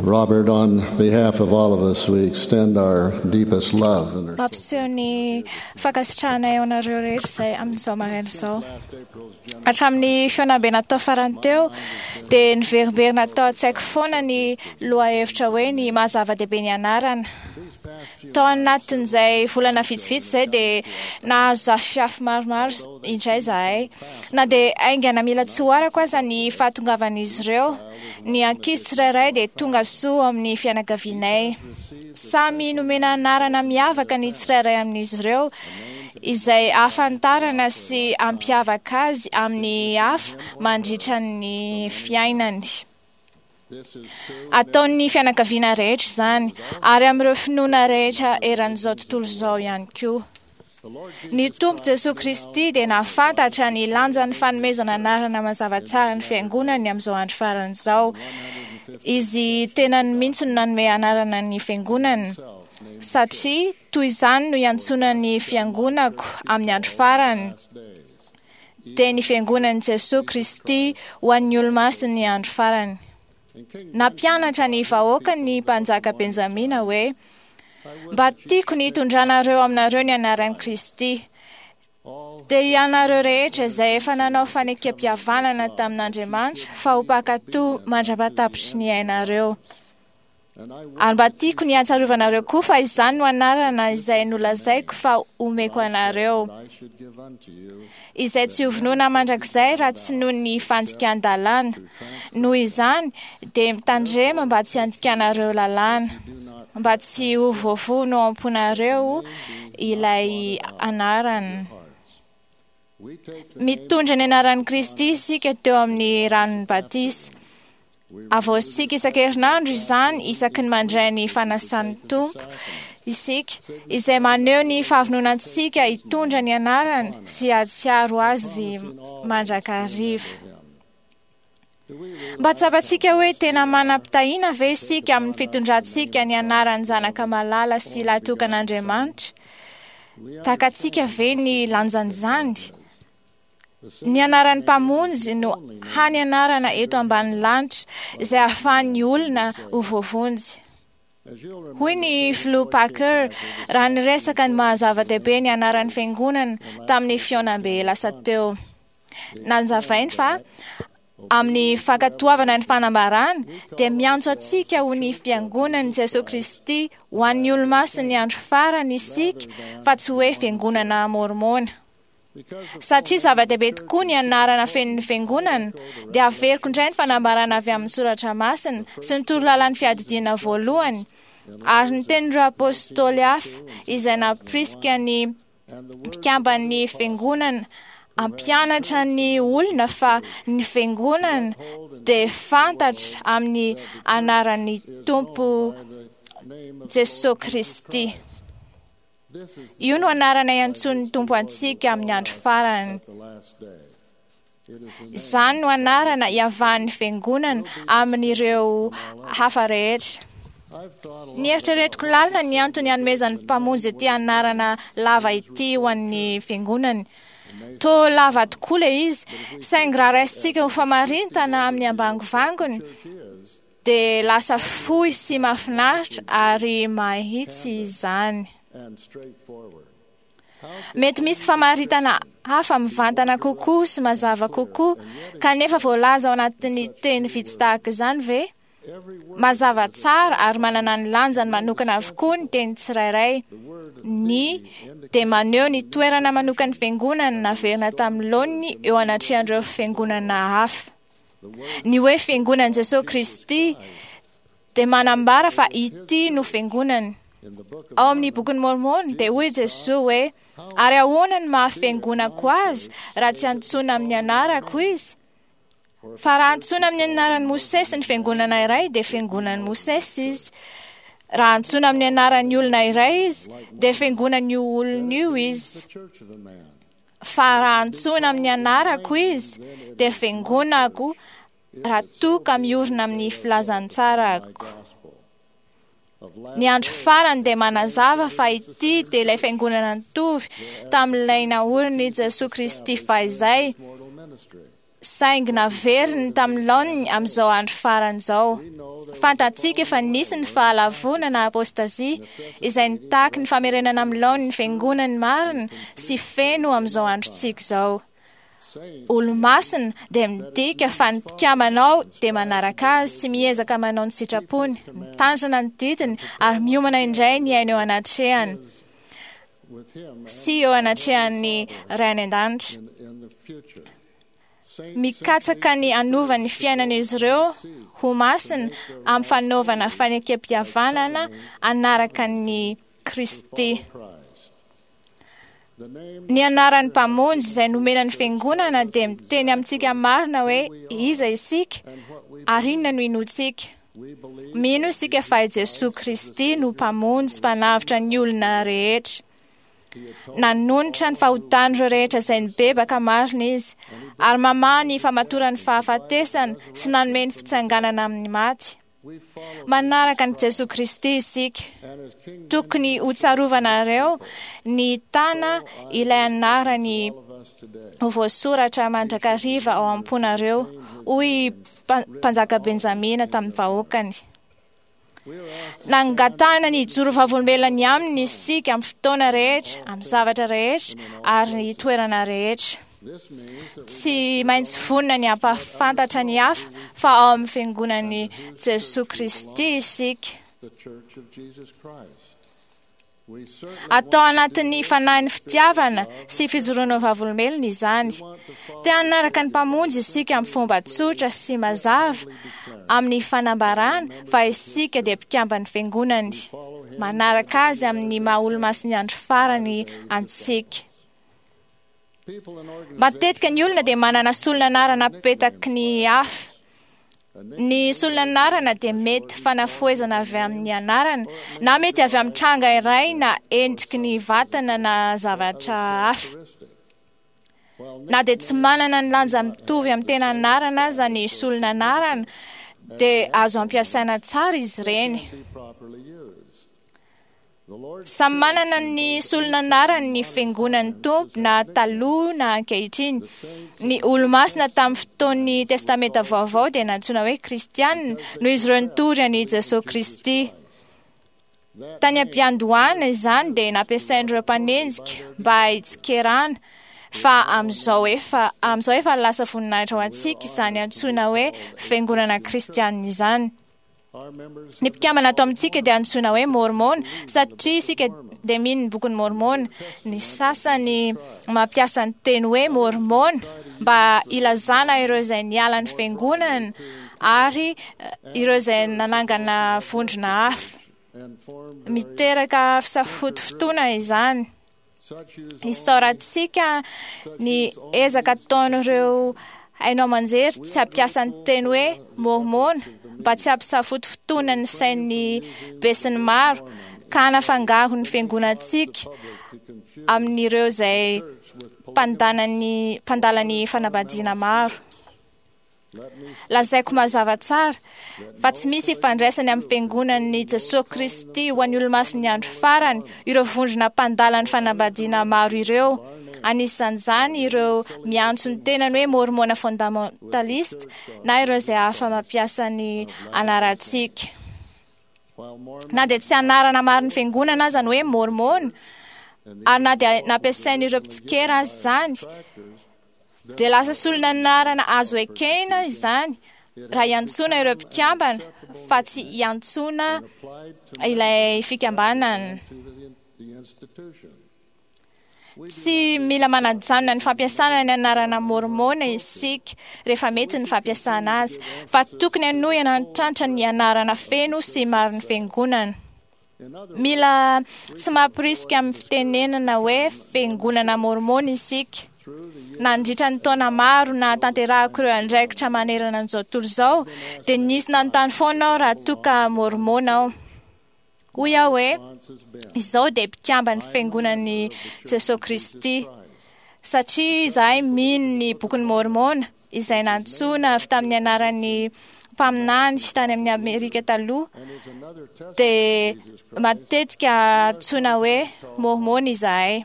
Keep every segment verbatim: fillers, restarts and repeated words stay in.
Robert, on behalf of all of us, we extend our deepest love and our Mampiseho ny fankasitrahanay ao anareo rehetra izay amin'izao maraina izao. Hatramin'ny fihaonambe natao farany teo dia niverimberina tao an-tsaiko foana ny lohahevitra hoe ny maha zava-dehibe ny anarana. Tao anatin'izay volana vitsivitsy izay dia nahazo zafiafy maromaro indray izahay. Na dia haingana mila tsy ho arako aza ny fahatongavan'izy ireo, ny ankizy tsirairay dia tonga soa amin'ny fianakavianay. Samy nomena anarana miavaka ny tsirairay amin'izy ireo, izay ahafantarana sy hampiavaka azy amin'ny hafa mandritra ny fiainany. Ataon'ny fianakaviana rehetra izany, ary amin'ireo finoana rehetra eran'izao tontolo izao ihany koa. Ny Tompo Jesoa Kristy dia nahafantatra ny lanjan'ny fanomezana anarana mazava tsara ny fiangonany amin'izao andro farany izao. Izy tenany mihitsy no nanome anarana ny fiangonany, satria toy izany no iantsoana ny fiangonako amin'ny andro farany, dia ny fiangonan'i Jesoa Kristy ho an'ny olomasin'ny andro farany. Nampianatra ny vahoaka ny mpanjaka Benjamina hoe: mba tiako ny hitondranareo aminareo ny anaran'i Kristy, dia ianareo rehetra izay efa nanao fanekempihavanana tamin'Andriamanitra fa ho mpankatò mandra-pahatapitry ny ainareo. Ary mba tiako ny hatsarovanareo koa fa izany no anarana izay nolazaiko fa omeko anareo, izay tsy hovonoina mandrakizay raha tsy noho ny fandikan-dalàna. Noho izany dia mitandrema mba tsy handikanareo lalàna, mba tsy ho voavono ao am-ponareo ilay anarana. Mitondra ny anaran'i Kristy isika teo amin'ny ranon'ny batisa. Avaozintsika isan-kerinandro izany isaky ny mandray ny fanasan'ny Tompo isika, izay maneho ny fahavononantsika hitondra ny anarany sy hahatsiaro azy mandrakariva. Mba tsapantsika hoe tena manam-pitahiana ve isika amin'ny fitondrantsika ny anaran'ny Zanaka malala sy lahitokan'Andriamanitra? Takatsika ve ny lanjan'izany? Ny anaran'ny Mpamonjy no hany anarana eto ambanin'ny lanitra izay ahafahan'ny olona ho voavonjy. Hoy ny filoha Packer raha niresaka ny maha zava-dehibe ny anaran'ny fiangonana tamin'ny fihaonambe lasa teo. Nanazavainy fa amin'ny fankatoavana ny fanambarana dia miantso antsika ho ny fiangonan'i Jesoa Kristy ho an'ny olomasin'ny andro farany isika, fa tsy hoe fiangonana mormona. Satria zava-dehibe tokoa ny anarana fenon'ny fiangonana, dia averiko indray ny fanambarana avy amin'ny soratra masina sy ny torolalan'ny fiadidiana voalohany, ary ny tenin'ireo apôstôly hafa izay nampirisika ny mpikamban'ny fiangonana hampianatra ny olona fa ny fiangonana dia fantatra amin'ny anaran'ny Tompo Jesoa Kristy. Io no anarana iantsoan'ny Tompo antsika amin'ny andro farany. Izany no anarana iavahan'ny fiangonana amin'ireo hafa rehetra. Nieritreretiko lalina ny antony hanomezan'ny Mpamonjy ity anarana lava ity ho an'ny fiangonany. Toa lava tokoa ilay izy, saingy raha raisintsika ho famarintana amin'ny ambangovangony, dia lasa fohy sy mahafinaritra ary mahitsy izany. Mety misy famaritana hafa mivantana kokoa sy mazava kokoa, kanefa voalaza ao anatin'ny teny vitsy tahaka izany ve? Mazava tsara ary manana ny lanjany manokana avokoa ny teny tsirairay. Ny dia maneho ny toerana manokan'ny fiangonana naverina tamin'ny laoniny eo anatrehan'ireo fiangonana hafa. Ny hoe fiangonan'i Jesoa Kristy dia manambara fa ity no fiangonany. Ao amin'ny bokin'ny Mormon dia hoy Jesoa hoe: ary ahoana ny maha fiangonako azy raha tsy antsoina amin'ny anarako izy? Fa raha antsoina amin'ny anaran'i Mosesy ny fiangonana iray dia fiangonan'i Mosesy izy. Raha antsoina amin'ny anaran'ny olona iray izy dia fiangonan'io olona io izy. Fa raha antsoina amin'ny anarako izy dia fiangonako raha toa ka miorina amin'ny filazantsarako. Ny andro farany dia manazava fa ity dia ilay fiangonana nitovy tamin'ilay naorin'i Jesoa Kristy fahizay, Saingy naveriny tamin'ny laoniny amin'izao andro farany izao. Fantatsika fa nisy ny fahalavoana na apôstazia izay nitaky ny famerenana amin'ny laoniny fiangonany marina sy feno amin'izao androntsika izao. Olomasina dia midika fa ny mpikambana ao dia manaraka azy sy miezaka manao ny sitrapony, mitandrina ny didiny ary miomana indray ny aina eo anatrehany sy eo anatrehan'ny Ray any an-danitra. Mikatsaka ny hanova ny fiainan'izy ireo ho masina amin'ny fanaovana fanekem-pihavanana hanaraka ny Kristy. Ny anaran'ny Mpamonjy izay nomena ny Fiangonana dia miteny amintsika marina hoe iza isika ary inona no inoantsika. Mino isika fa i Jesoa Kristy no Mpamonjy mpanavotra ny olona rehetra. Nanonitra ny fahotan'ireo rehetra izay nibebaka marina izy, ary mamaha ny famatoran'ny fahafatesana sy nanome ny fitsanganana amin'ny maty. Manaraka an'i Jesoa Kristy isika. Tokony ho tsarovanareo ny tana ilay anarany ho voasoratra mandrakariva ao am-ponareo, hoy Mpanjaka Benjamina tamin'ny vahoakany. Nangatahana ny hijoro vavolombelona ny aminy isika amin'ny fotoana rehetra, amin'ny zavatra rehetra ary ny toerana rehetra. Tsy maintsy vonona ny hampahafantatra ny hafa fa ao amin'ny fiangonan'i Jesoa Kristy isika. Atao anatin'ny fanahin'ny fitiavana sy fijoroana ho vavolombelona izany. Te hanaraka ny Mpamonjy isika amin'ny fomba tsotra sy mazava amin'ny fanambarana fa isika dia mpikamban'ny fiangonany. Manaraka azy amin'ny maha olomasin'ny andro farany antsika. Matetika ny olona dia manana solon'anarana apetaky ny hafa. Ny solon'anarana dia mety fanafohezana avy amin'ny anarana, na mety avy amin'ny tranga iray na endriky ny vatana na zavatra hafa. Na dia tsy manana ny lanja mitovy amin'ny tena anarana aza ny solon'anarana, dia azo ampiasaina tsara izy ireny. Samy manana ny solon'anarany ny fiangonan'ny Tompo na taloha na ankehitriny. Ny olomasina tamin'ny fotoan'ny Testamenta Vaovao dia nantsoina hoe Kristianina noho izy ireo nitory an'i Jesoa Kristy. Tany am-piandohana izany dia nampiasain'ireo mpanenjika mba hitsikerana, fa amin'izao efa amin'izao efa lasa voninahitra ho antsika izany antsoina hoe fiangonana kristianina izany. Ny mpikambana ato amintsika dia antsoina hoe Mormona satria isika dia mino ny bokin'ny Mormona. Ny sasany mampiasa ny teny hoe Mormona mba hilazana ireo izay niala ny fiangonana ary ireo izay nanangana vondrona hafa. Miteraka fisafotofotoana izany. Isaorantsika ny ezaka ataon'ireo haino aman-jery tsy hampiasa ny teny hoe Mormona mba tsy hampisafotofotoana ny sain'ny besinimaro ka hanafangaro ny fiangonantsika amin'ireo izay mpandala mpandala ny fanambadiana maro. Lazaiko mazava tsara fa tsy misy ifandraisany amin'ny fiangonan'i Jesoa Kristy ho an'ny olomasin'ny andro farany ireo vondrona mpandala ny fanambadiana maro ireo. Anisan'izany ireo miantso ny tenany hoe Mormona fondamentaliste na ireo izay hafa mampiasa ny anarantsika. Na dia tsy anarana marin'ny fiangonana aza ny hoe Mormona, ary na dia nampiasain'ireo mpitsikera aza izany, dia lasa solon'anarana azo ekena izany raha hiantsoana ireo mpikambana fa tsy hiantsoana ilay fikambanana. Tsy mila manajanona ny fampiasana ny anarana Mormona isika rehefa mety ny fampiasana azy, fa tokony hanohy hanantrantra ny anarana feno sy marin'ny fiangonana. Mila tsy mampirisika amin'ny fitenenana hoe fiangonana Mormona isika. Nandritra ny taona maro nahatanterahako ireo andraikitra manerana an'izao tontolo izao, dia nisy nanontany foana aho raha toa ka Mormona aho. Hoy aho hoe, izao dia mpikamban'ny fiangonan'i Jesoa Kristy, satria izahay mino ny bokin'i Mormona izay nantsoina avy tamin'ny anaran'ny mpaminany tany amin'ny Amerika taloha, dia matetika antsoina hoe Mormona izahay.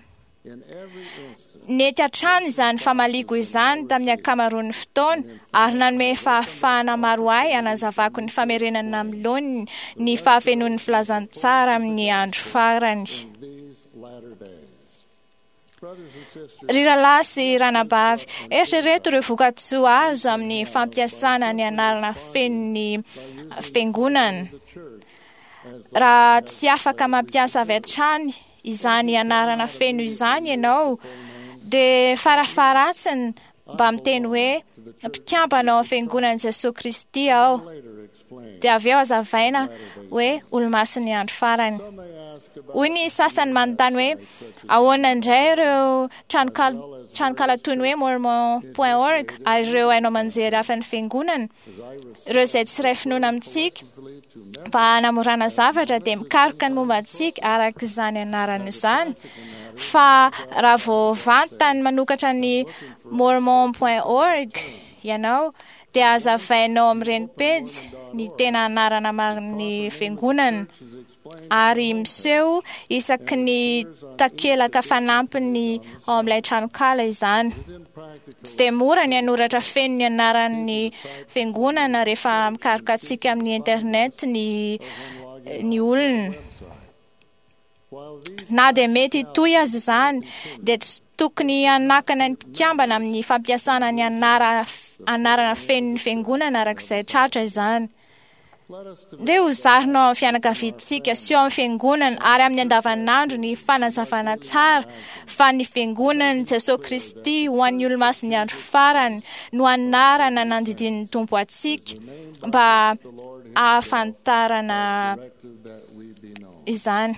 Nety hatrany izany famaliko izany tamin'ny ankamaroan'ny fotoana ary nanome fahafahana maro ahy hanazavako ny famerenana amin'ny laoniny ny fahafenoan'ny filazantsara amin'ny andro farany. Ry rahalahy sy ranabavy, eritrereto ireo vokatsoa azo amin'ny fampiasana ny anarana fenon'ny fiangonana. Raha tsy afaka mampiasa avy hatrany izany anarana feno izany ianao, dia farafaharatsiny mba miteny hoe mpikambana ao amin'ny fiangonan'i Jesoa Kristy aho. Dia avy eo hazavaina hoe olomasin'ny andro farany. Hoy ny sasany manontany hoe ahoana indray ireo tranokala tranokala toy ny hoe mormon point org ary ireo haino aman-jery hafa ny fiangonana, ireo izay tsy iray finoana amintsika, mba hanamorana zavatra dia mikaroka ny momba antsika araka izany anarana izany. Fa raha vao vantany manokatra ny mormon point org ianao, dia hazavainao amin'ireny pejy ny tena anarana marin'ny fiangonana ary miseho isaky ny takelaka fanampiny ao amin'ilay tranokala izany. Tsy dia mora ny hanoratra feno ny anaran'ny fiangonana rehefa mikaroka antsika amin'ny internet ny, ny olona. Na dia mety hitohy aza izany, dia tsy tokony hanakana ny mpikambana amin'ny fampiasana ny anara, anarana fenon'ny fiangonana araka izay tratra izany. Dia ho zarina ao amin'ny fianakaviantsika sy ao amin'ny fiangonana ary amin'ny andavanandro ny fanazavana tsara fa ny fiangonan'i Jesoa Kristy ho an'ny olomasin'ny andro farany no anarana nandidian'ny Tompo antsika mba ahafantarana izany.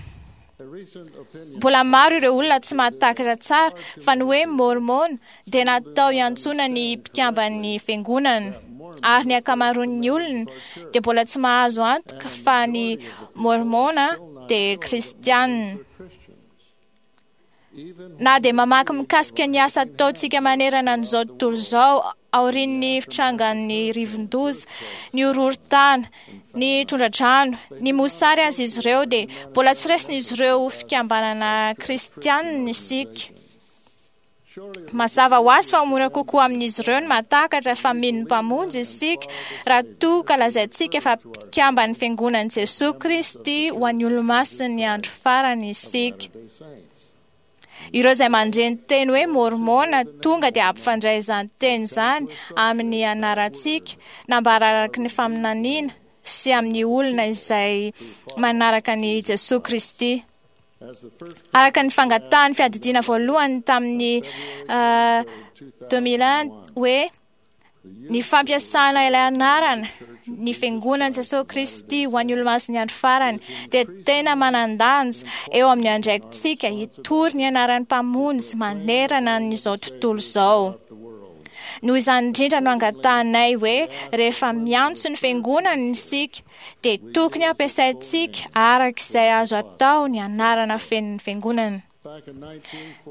Mbola maro ireo olona tsy mahatakatra tsara fa ny hoe mormon dia natao hiantsoana ny mpikamban'ny fiangonana, ary ny ankamaroan'ny olona dia mbola tsy mahazo antoka fa ny mormona dia kristianina. Na dia mamaky mikasika ny asa ataontsika manerana an'izao tontolo izao aorian'ny fitrangan'ny rivodoza, ny horohorontany, ny tondra-drano, ny mosary aza izy ireo, dia mbola tsy raisin'izy ireo ho fikambanana kristianina isika. Mazava ho azy fa ho mora kokoa amin'izy ireo ny mahatakatra fa mino ny Mpamonjy isika raha toa ka lazaintsika fa mpikamban'ny fiangonan'i Jesoa Kristy ho an'ny olomasin'ny andro farany isika. Ireo izay mandre ny teny hoe mormona tonga dia hampifandray izany teny izany amin'ny anarantsika, nambara araka ny faminaniana sy amin'ny olona izay manaraka an'i Jesoa Kristy. Araka ny fangatahan'ny fiadidiana voalohany tamin'ny deux mille un hoe ny fampiasana ilay anarana, ny fiangonan'i Jesoa Kristy ho an'ny olomasin'ny andro farany, dia tena manan-danja eo amin'ny andraikitsika hitory ny anaran'ny Mpamonjy manerana an'izao tontolo izao. Noho izany indrindra no angatahanay hoe rehefa miantso ny fiangonana isika, dia tokony hampiasaintsika araka izay azo atao ny anarana fenon'ny fiangonana.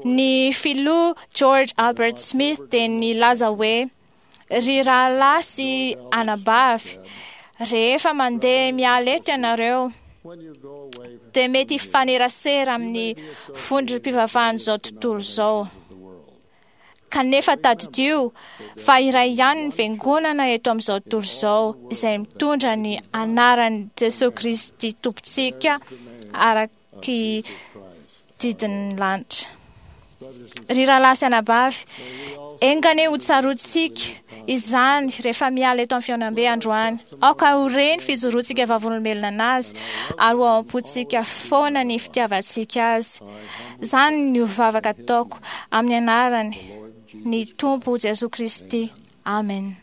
Ny filoha George Albert Smith dia nilaza hoe ry rahalahy sy anabavy, rehefa mandeha miala eto ianareo, dia mety hifanerasera amin'ny vondrom-pivavahan'izao tontolo izao. Kanefa tadidio fa iray ihany ny fiangonana eto amin'izao tontolo izao izay mitondra ny anaran'i Jesoa Kristy Tompontsika araky didin'ny lanitra. Ry rahalahy sy anabavy, enga anie ho tsaroantsika izany rehefa miala eto amin'ny fihaonambe androany. Aoka ho re ny fijoroantsika vavolombelona anazy ary ho ao am-pontsika foana ny fitiavantsika azy. Izany no vavaka ataoko amin'ny anarany ny Tompo Jesoa Kristy. Amen.